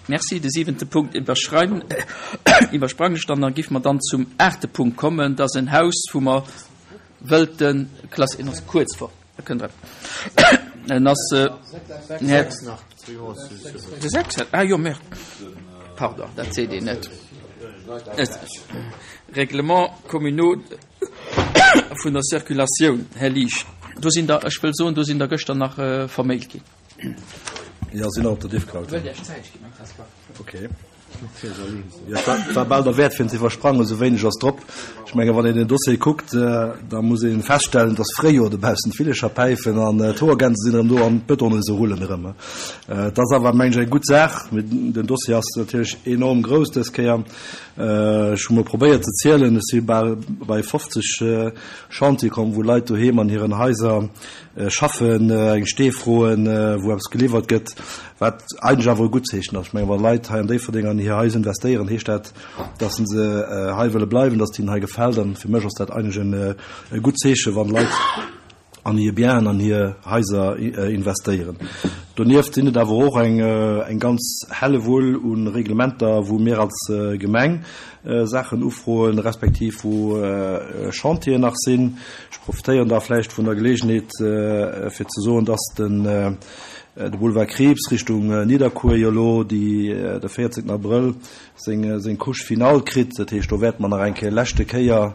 Merci. De siwente Punkt iwwerschreiwen, iwwersprangen ech dann. Da géife mer dann zum aachte Punkt kommen. Dat ass en Haus, wou mer wëllten klass-, en ass kuerz vor, da kënnt Der. En ass, Här, de sechs, ah jo, merde, pardon, dat seet een net. Règlements communaux vun der Circulatioun, Här Liesch, do sinn der, ech wëll soen, do sinn der gëschter nach vermailt ginn. Ja, sinn op der Diffcloud. Okay. Ja, war bal der Wäert fir ze iwwersprangen, esou wéineg ass drop. Ech menge wann een den Dossier kuckt, äh, da muss een feststellen, dass Fréijoer dobaussen d'Villecher päifen an äh, d'Hoergänse sinn erëm do an d'Bëtonne se rullen erëm. Äh, dat ass awer meng ech eng gutt Saach. Den Dossier ass natierlech enorm grouss dës Kéier. Äh, ech hu mol probéiert ze zielen, ech si bal bei 50 äh, Chantier komm, wou Leit doheem an hiren Haiser Schaffen, eng Stee froen, wou eppes geliwwert gëtt, wat eigentlech awer e gutt Zeechen ass. Ech mengen, wa Leit hei an Déifferdeng an hir Haiser investéieren, heescht dat, datt se hei wëlle bleiwen, datt et hinnen hei gefält. An fir mech ass dat eigentlech e gutt Zeechen, wann Leit an hir Bienen, an hir Haiser investéieren. Donieft sinn et awer och eng ganz Hellewull u Reglementer, wou mir als Gemeng Saachen ufroen, respektiv wou Chantieren nach sinn. Ech profitéieren da vläicht vun der Geleegenheet, fir ze soen, dass den de Boulevard Krieps Richtung Nidderkuer jo elo de 14 Abrëll seng seng Couche finale kritt. Dat heescht, do wäerte mer nach eng Kéier, leschte Kéier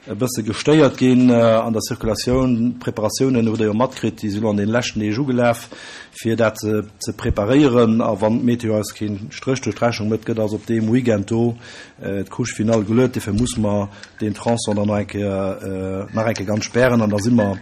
e bësse gestéiert ginn an der Circulatioun. D'Preparatiounen hutt Der jo matkritt, déi si lo an deene leschten Deeg ugelaf, fir dat ze preparéieren. A wann d'Meteo eis keen Stréch duerch d'Rechnung mécht, gëtt also op deem Weekend do d'Couche finale geluet. Dofir muss mer deen Tronçon dann nach eng Kéier, nach eng Kéier ganz spären. An da si mer,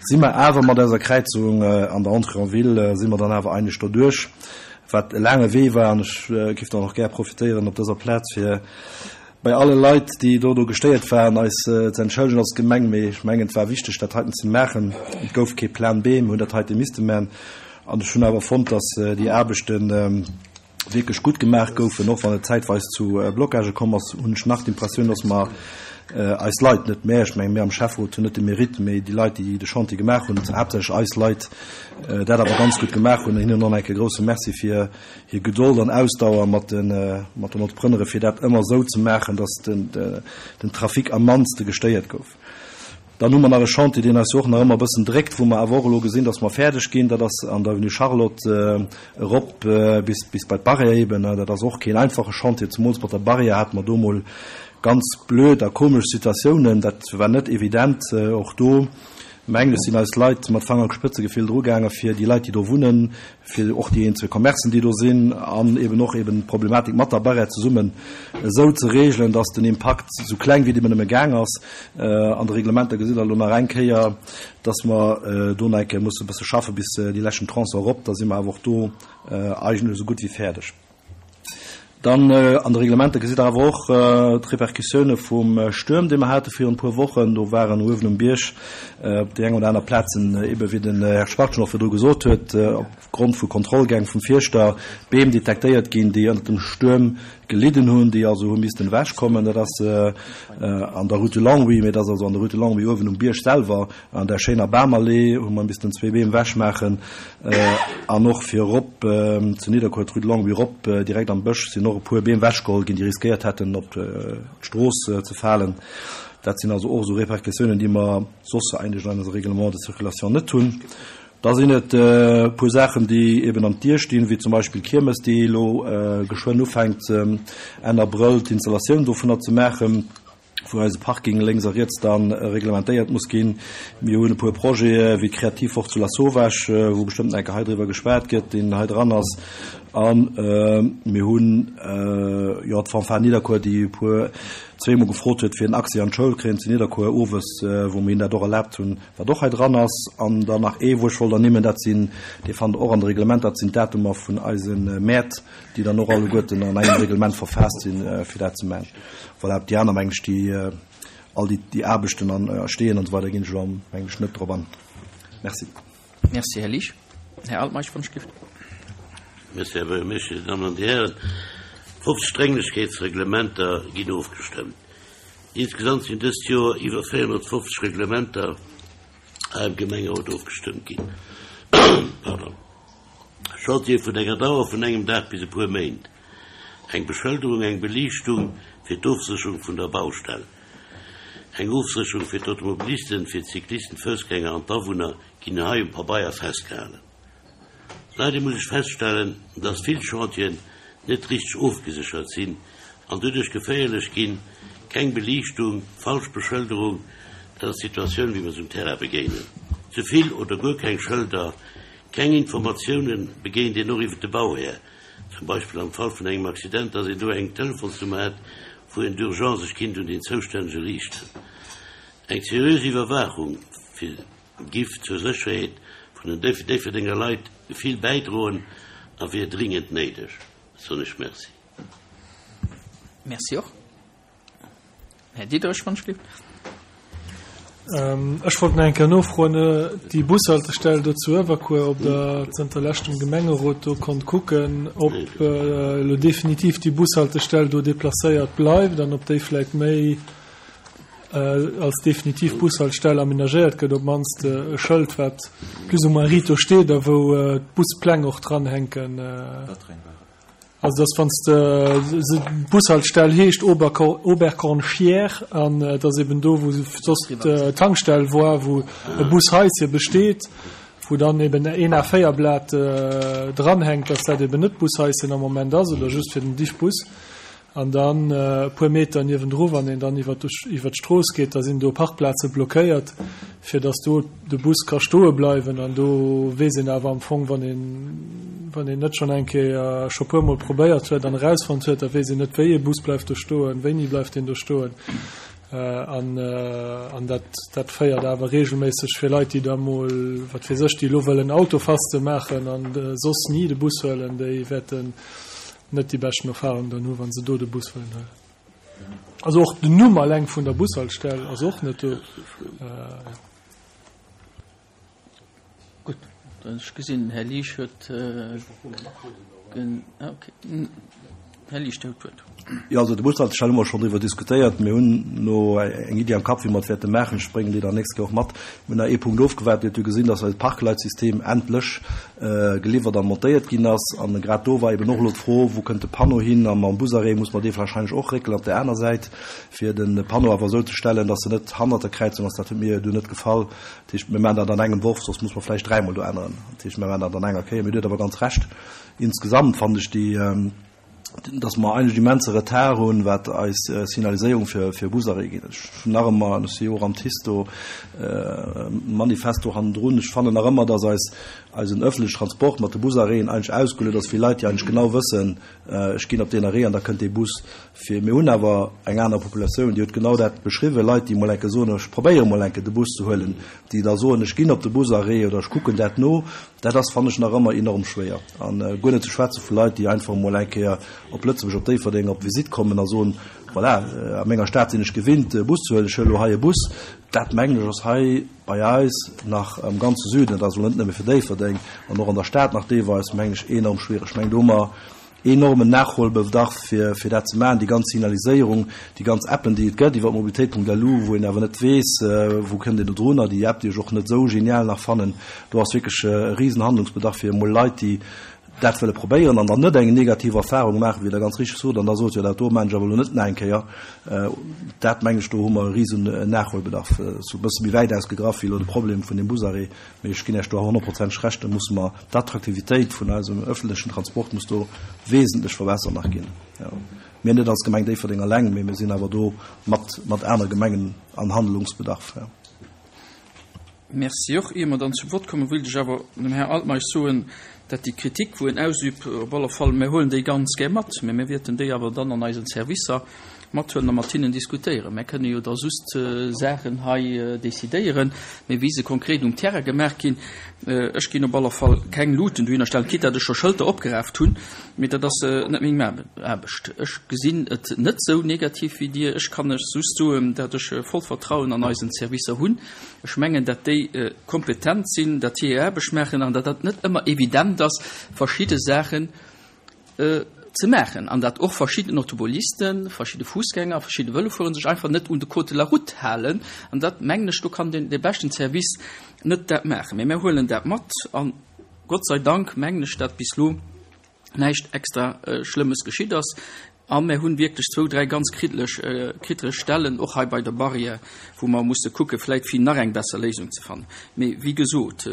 si mer awer mat eiser Kräizung an der Entrée en ville, si mer dann awer eigentlech doduerch, wat e laange Wee war. An ech géif dann och gär profitéieren op dëser Plaz, fir bei alle Leit, déi do do gestéiert waren, eis ze entschëllegen als Gemeng. Mee ech mengen, et war wichteg, dat heiten ze maachen. Et gouf kee Plan B, mir hunn dat heite misste maachen. An ech hunn awer fonnt, dass déi Aarbechten wierklech gutt gemaach goufen. Och wann et zäitweis zu Blocagë komm ass, hunn ech nach d'Impressioun, dass mer eis Leit, net mär, ech menge mir am Schäfferot hunn net de Mérite, mee déi Leit, déi de Chantier gemaach hunn, haaptsächlech eis Leit, dat awer ganz gutt gemaach hunn. Hinnen och nach eng Kéier e grouse Merci fir hir Gedold an Ausdauer mat den Entrepreneuren, fir dat ëmmer esou ze maachen, dass den Trafic am mannste gestéiert gouf. Dann hu mer nach e Chantier, deen eis jo och nach ëmmer e bëssen dréckt, wou mer awer och elo gesinn, dass mer fäerdeg ginn. Dat ass an der Avenue Charlotte erop bis bis bei d'Barrière eben. Dat ass och keen einfache Chantier, zemools mat der Barrière hate mer do mol ganz blöd a komesch Situatiounen. Dat war net evident. Och do, mengen ech, sinn eis Leit mat Fangerspëtzegefill drugaange fir déi Leit, déi do wunnen, fir och déi eenzel Commercen, déi do sinn, an eben och eben d'Problematik mat der Barrière zesummen esou ze regelen, dass den Impakt esou kleng wéi et nëmme gaang ass. An de Reglementer gesitt Der elo nach eng Kéier, dass mer do nach eng Kéier musse e bësse schaffe bis déi leschten Tronçon erop. Da si mer awer och do eigentlech esou gutt wéi fäerdeg. Dann an de Reglementer gesitt Der awer och d'Repercussioune vum Stuerm, dee mer hate virun e puer Wochen. Do waren uewen um Bierg op déi eng oder aner Plazen, ebe wéi den Här Schwachtgen och virdru gesot huet, opgrond vu Kontrollgäng vum Fierschter Beem detektéiert ginn, déi ënnert dem Stuerm gelidden hunn, déi also hu missten ewechkommen. Dat ass an der Rue de Longwy, mee dat ass also an der Rue de Longwy uewen um Bierg selwer. An der schéiner Bamallee hu mer missten zwee Beem wechmaachen an och fir erop zu Nidderkuer, d'Rue de Longwy erop, direkt am Bësch sinn och e puer Beem wechgeholl ginn, déi riskéiert hätten op d'Strooss ze falen. Dat sinn also och esou Repercussiounen, déi mer soss eigentlech an eise Règlement de circulation net hunn. Da sinn et e puer Saachen, déi eben an d'Dier stinn, wéi zum Beispill d'Kiermes, déi elo geschwënn ufänkt, Enn Abrëll d'Installatioun dovunner ze maachen. wou eise Parking lénks a riets da reglementéiert muss ginn. Mir hunn e puer Projete wéi d'Kreativwoch zu Lasauvage, wou bestëmmt nach eng Kéier hei driwwer geschwat gëtt, deen hei dran ass. A mir hunn, jo, d'Fanfare Nidderkuer, déi e puer, zweemol gefrot huet, fir en Accès an d'Schoul kréien zu Nidderkuer owes, wou mir hinnen dat och erlaabt hunn, wat och hei dran ass. An dann nach ee, wou ech wollt ernimmen, dat sinn, dee fannt Der och an de Reglementer, dat sinn d'Datumer vun eise Mäert, déi dann och alleguerten an engem Reglement verfaasst sinn, fir dat ze maachen. Voilà, op déi aner, meng ech, déi all déi, déi Aarbechten an Steeën an esou weider ginn ech elo, meng ech, net drop an. Merci. Merci, Här Liesch. Här Altmeisch, wann ech gift. Merci, Här Buergermeeschter, Dir Dammen an Dir Hären. 50 Drénglechkeetsreglementer ginn ofgestëmmt. Insgesamt sinn dëst Joer iwwer 450 Reglementer hei am Gemengerot ofgestëmmt ginn. Pardon. Chantiere vun enger Dauer vun engem Dag bis e puer Méint. Eng Beschëlderung, eng Beliichtung fir d'Ofsécherung vun der Baustell, eng Ofsécherung fir d'Automobilisten, fir d'Cyclisten, d'Foussgänger an d'Awunner ginn hei um Pabeier festgehalen. Leider muss ech feststellen, dass vill Chantieren net richteg ofgeséchert sinn an doduerch geféierlech ginn, keng Beliichtung, falsch Beschëlderung, dat ass d'Situatioun wéi mer se um Terrain begéinen. Ze vill oder guer keng Schëlder, keng Informatiounen begéint een och iwwer de Bauhär, zum Beispill am Fall vun engem Accident, dass een do eng Telefonsnummer hätt, wou een d'urgence sech kinnt un den Zoustännege riichten. Eng seriös Iwwerwaachung fir giff zur Sécherheet vun den Déifferdenger Leit vill bäidroen a wier dringend néideg. Soen ech Merci. Merci och. Här Diderich, wann ech gelift. Ech wollt nach eng Kéier nofroen, déi Bushaltestell do zu Uewerkuer, ob Der zënter leschtem Gemengerot do konnt kucken, ob elo definitiv déi Bushaltestell do deplacéiert bleift an ob déi vläicht méi als definitiv Bushaltestell amenagéiert gëtt, op d'mannst e Schëld, wat plus ou moins riit do steet a wou d'Buspläng och dranhänken. Also dass wann s de, d'Bushaltestell heescht Oberkornchière an et ass eben do, wou soss d'Tankstell war, wou e Bushaische besteet, wou dann eben een A4-Blat dranhänkt, dass dat eben net d'Bushaischen am Moment ass oder just fir den Diffbus. An dann e puer Meter niewendru, wann een dann iwwer d'Strooss geet, da sinn do Parkplaze blockéiert, fir datt do de Bus ka stoe bleiwen. An do weess een awer am Fong, wann een, wann een net schonn eng Kéier, scho puermol probéiert huet an erausfonnt huet, da weess een net, wéi ee Bus bleift do stoen, wéini bleift deen do stoen. An, an dat, dat féiert awer reegelméisseg fir Leit, déi da mol, wat weess ech, déi elo wëllen Autofaste maachen an soss ni de Bus huelen, déi wäerten net déi beschten Erfahrung dann hu wann se do de Bus wëllen huelen. Also och den Numm alleng vun der Bushaltestell ass och net do. Gutt, ech gesinn den Här Liesch huet okay. Här Liesch, Dir hutt d'Wuert. Jo, also de Bushaltestell hu mer schonn driwwer diskutéiert. Mir hunn no eng Iddi am Kapp, wéi mer et wäerte maachen. Ech bréngen déi dann nächst Kéier och mat. Mir hunn nach ee Punkt ofgewaart. Dir hutt jo gesinn, dass eist Parkleitsystem endlech geliwwert a montéiert ginn ass. An grad do war eben och elo d'Fro, Wou kënnt de Panneau hin? A mam Busarrêt muss mer dee warscheinlech och réckelen op där aner Säit, fir de Panneau awer esou ze stellen, dass en net hannert der Kräizung ass. Dat huet mir du net gefall. Dat heescht, mir maachen dat an engem Worf, soss muss mer vläicht dräimol do änneren. Dat heescht, mir maachen dat an enger Kéier. Mee Dir hutt awer ganz Recht, insgesamt fannen ech déi, dass mer eigentlech immense Retard hunn, wat eis Signaliséierung fir fir Busarrêt geet. Ech hunn nach ëmmer, an ech si jo och am TICE do, Manifest do hannendrun, ech fannen nach ëmmer, dass eis eisen öffentliche Transport mat de Busarrêten eigentlech ausgeluet ass fir Leit, déi eigentlech genau wëssen, ech ginn op deen Arrêt an da kënnt dee Bus. Fir mir hunn awer eng aner Populatioun, Dir hutt genau dat beschriwwen, Leit, déi emol enke soen, ech probéiere mol enke de Bus ze huelen, déi da soen, ech ginn op de Busarrêt oder ech kucken dat no. Dat ass, fannen ech, nach ëmmer enorm schwéier. A guer net ze schwätze vu Leit, déi einfach emol eng Kéier op Lëtzebuerg, op Déifferdeng op Visitt kommen a soen, Voilà, a menger Stad sinn ech gewinnt, e Bus ze huelen, ech huele elo hei e Bus. Dat, mengen ech, ass hei bei eis nach am ganze Süden, dat ass elo net nëmme fir Déifferdeng, an och an der Stad nach deelweis, mengen ech, enorm schwiereg. Ech mengen, do hu mer enormen Nachholbedarf fir fir dat ze maachen, déi ganz Signaliséierung, déi ganz Appen, déi et gëtt iwwer mobilitéit.lu, wou een awer net weess, wou kënnt een do drunner, déi App, déi ech och net esou genial nach fannen, do ass wierklech e risen Handlungsbedarf fir emol Leit, déi dat wëlle probéieren an dann net eng negativ Erfahrung maachen, wéi Der ganz richteg sot, an da sot, jo dat do maachen ech awer elo net nach eng Kéier. Dat mengen ech, do hu mer e risen Nachholbedarf. Sou e bësse méi wäit ausgegraff wéi elo de Problem vun deem Busarrêt. Mee ech ginn Iech do honnertprozenteg Recht, do musse mer d'Attraktivitéit vun eisem öffentlechen Transport muss do wesentlech verbessert nach ginn. Jo. Mir net als Gemeng Déifferdeng alleng, mee mir sinn awer do mat, mat anere Gemengen an Handlungsbedarf. Jo. Merci och. Ier mer dann zum Vott kommen, wéilt ech awer dem Här Altmeisch soen, dat déi Kritik, wou en ausübt, op alle Fall, mir huelen déi ganz gär mat, mä mir wäerten déi awer dann an eisen Servicer mathuelen a mat hinnen diskutéieren. Mär kënne jo da just Saachen hei decidéieren, mee wéi se konkret um Terrain gemaach ginn, ech ginn op alle Fall keng Luuten dohinner stellen, quitte datt ech scho Schëlter opgeraaft hunn, mee dat ass net meng Aarbecht. Ech gesinn et net esou negativ wéi Dir. Ech kann lech just soen, datt ech vollt Vertrauen an eisen Servicer hunn. Ech mengen, datt déi kompetent sinn, datt hir hir Aarbecht maachen an datt dat net ëmmer evident ass, verschidde Saachen ze maachen an datt och verschidden Automobilisten, verschidde Fussgänger, verschidde Vëlofuerer sech einfach net un de Code de la route halen. An dat, mengen ech, do kann dee beschten Service net dat maachen. Mee mir huelen dat mat a. Gott sei Dank mengen ech, dat bis elo näischt extra Schlëmmes geschitt ass. A mär hunn wierklech zwou, dräi ganz kriddeleg, kriddeleg Stellen, och hei bei der Barrière, wou mer musse kucke vläit fir nach eng besser Léisung ze fannen. Mee wéi gesot,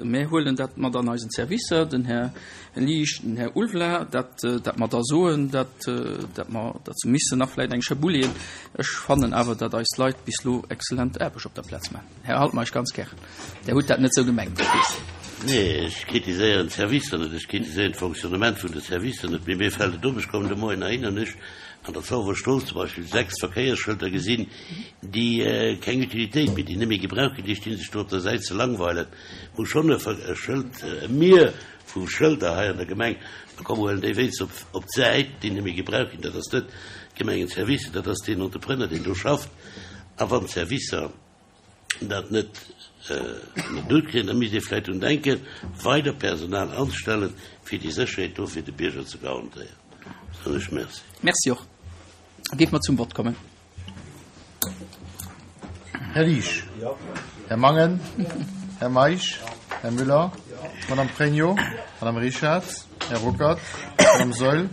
mär huelen dat mat an eisen Servicer, den Här Liesch, den Här Ulvela, dat, dat mer da soen, dat, dat mer, dat se missen nach vläit eng Schëpp uleeën. Ech fannen awer, dat eis Leit bis elo exzellent Aarbecht op der Plaz maachen. Här Altmeisch, ganz gären. Der hutt dat net sou gemengt, ech weess. Nee, ech kritiséieren d'Servicer net, ech kritiséieren d'Fonctionnement vun de Servicer net. Mee mir fält et op, ech kommen de Moien heihinner an ech an der Zauberer Strooss zum Beispill 6 Verkéiersschëlter gesinn, déi keng Utilitéit méi, déi net méi gebraucht ginn, déi stinn sech do op der Säit ze langweilen. Wou schonn e Schëld, e Mier vu Schëlder hei an der Gemeng, da komm huelen déi wéinst op op d'Säit, déi net méi gebraucht ginn. Dat ass net d'Gemengenservice, dat ass deen Entrepreneur, deen do schafft. A wann d'Servicer dat net ënner den Hutt kréien, da misst ee vläicht drun denken, weider Personal anzestellen, fir déi Sécherheet do fir de Bierger ze garantéieren. Soen ech Merci. Merci och. Da géife mer zum Vott kommen. Här Liesch. Här Mangen. Här Meisch. Här Müller. Madame Pregno. Madame Richarz. Här Ruckert. Madame Saeul.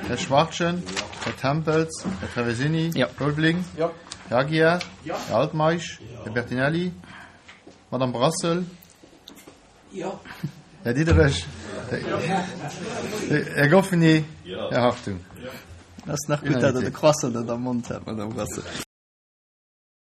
Här Schwachtgen. Här Tempels. Här Traversini. Här Ulveling. Här Aguiar. Här Altmeisch. Här Bertinelli. Madame Brassel. Här Diderich. Här Goffeny. Här Hartung. Ass nach gutt, datt Der de Croissant net am Mond hat, Madame Brassel.